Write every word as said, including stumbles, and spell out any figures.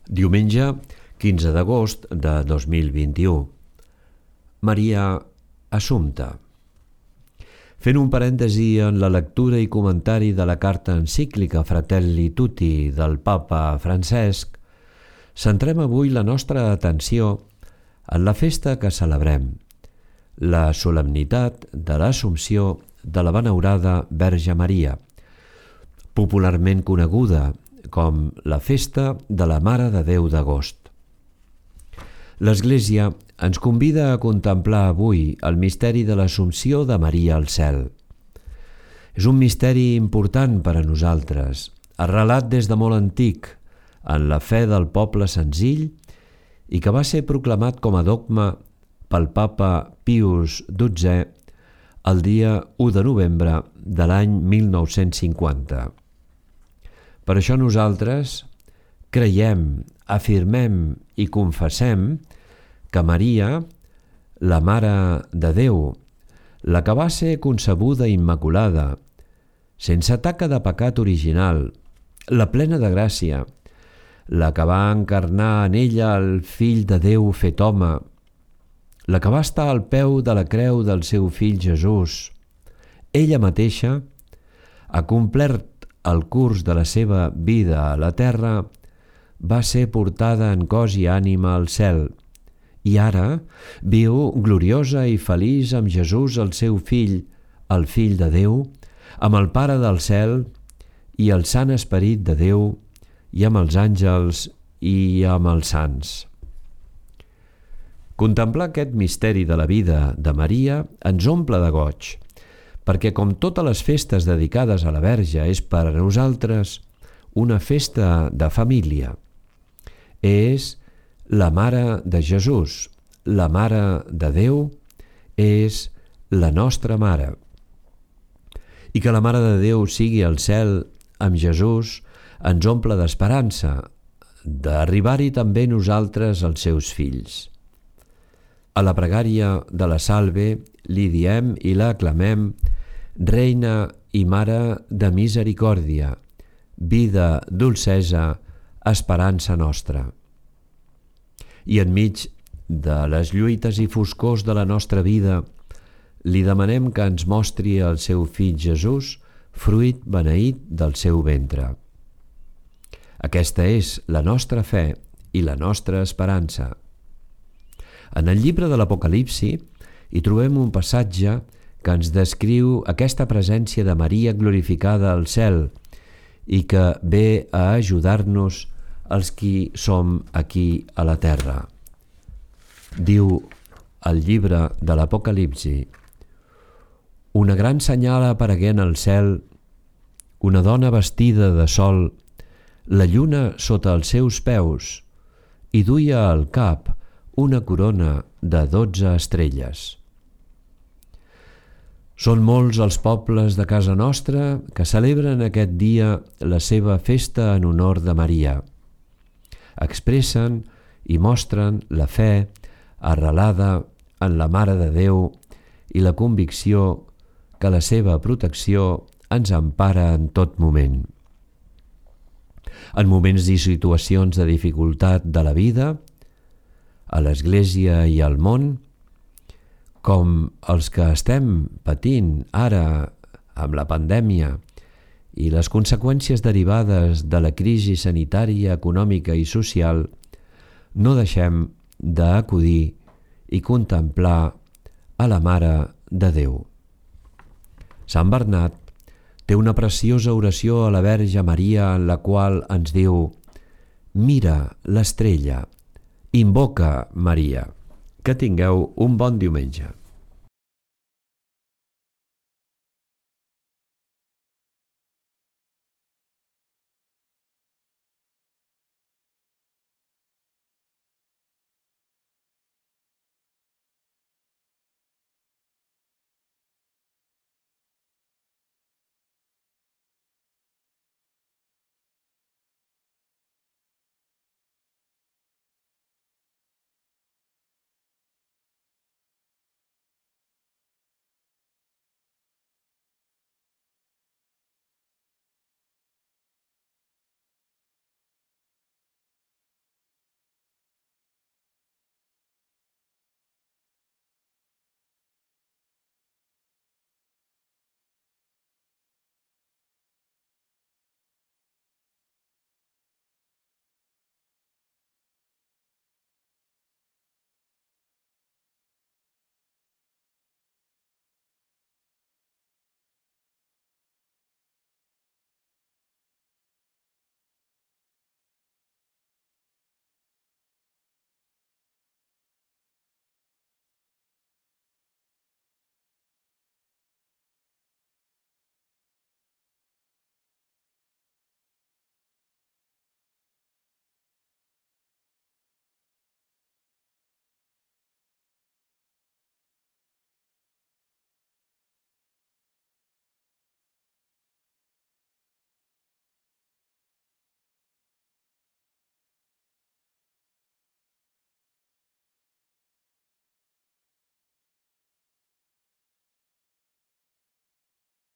Diumenge, quinze d'agost de dos mil vint-i-u. Maria Assumpta. Fent un parèntesi en la lectura i comentari de la carta encíclica Fratelli Tutti del Papa Francesc, centrem avui la nostra atenció en la festa que celebrem, la solemnitat de l'Assumpció de la benaurada Verge Maria, popularment coneguda com la festa de la Mare de Déu d'agost. L'Església ens convida a contemplar avui el misteri de l'Assumpció de Maria al cel. És un misteri important per a nosaltres, arrelat des de molt antic en la fe del poble senzill i que va ser proclamat com a dogma pel Papa Pius dotzè el dia u de novembre de l'any mil nou-cents cinquanta. Per això nosaltres creiem, afirmem i confessem que Maria, la Mare de Déu, la que va ser concebuda immaculada, sense taca de pecat original, la plena de gràcia, la que va encarnar en ella el Fill de Déu fet home, la que va estar al peu de la creu del seu fill Jesús, ella mateixa ha complert el curs de la seva vida a la terra, va ser portada en cos i ànima al cel i ara viu gloriosa i feliç amb Jesús, el seu fill, el Fill de Déu, amb el Pare del cel i el Sant Esperit de Déu i amb els àngels i amb els sants. Contemplar aquest misteri de la vida de Maria ens omple de goig, perquè com totes les festes dedicades a la Verge és per a nosaltres una festa de família. És la Mare de Jesús, la Mare de Déu, és la nostra Mare. I que la Mare de Déu sigui al cel amb Jesús ens omple d'esperança, d'arribar-hi també nosaltres els seus fills. A la pregària de la Salve li diem i la aclamem Reina i Mare de misericòrdia, vida, dolcesa, esperança nostra. I enmig de les lluites i foscors de la nostra vida, li demanem que ens mostri el seu fill Jesús, fruit beneït del seu ventre. Aquesta és la nostra fe i la nostra esperança. En el llibre de l'Apocalipsi hi trobem un passatge que ens descriu aquesta presència de Maria glorificada al cel i que ve a ajudar-nos els qui som aquí a la terra. Diu el llibre de l'Apocalipsi: una gran senyal aparegué en el cel, una dona vestida de sol, la lluna sota els seus peus, i duia al cap una corona de dotze estrelles. Són molts els pobles de casa nostra que celebren aquest dia la seva festa en honor de Maria. Expressen i mostren la fe arrelada en la Mare de Déu i la convicció que la seva protecció ens empara en tot moment. En moments i situacions de dificultat de la vida, a l'Església i al món, com els que estem patint ara amb la pandèmia i les conseqüències derivades de la crisi sanitària, econòmica i social, no deixem d'acudir i contemplar a la Mare de Déu. Sant Bernat té una preciosa oració a la Verge Maria en la qual ens diu: mira l'estrella, invoca Maria. Que tingueu un bon diumenge.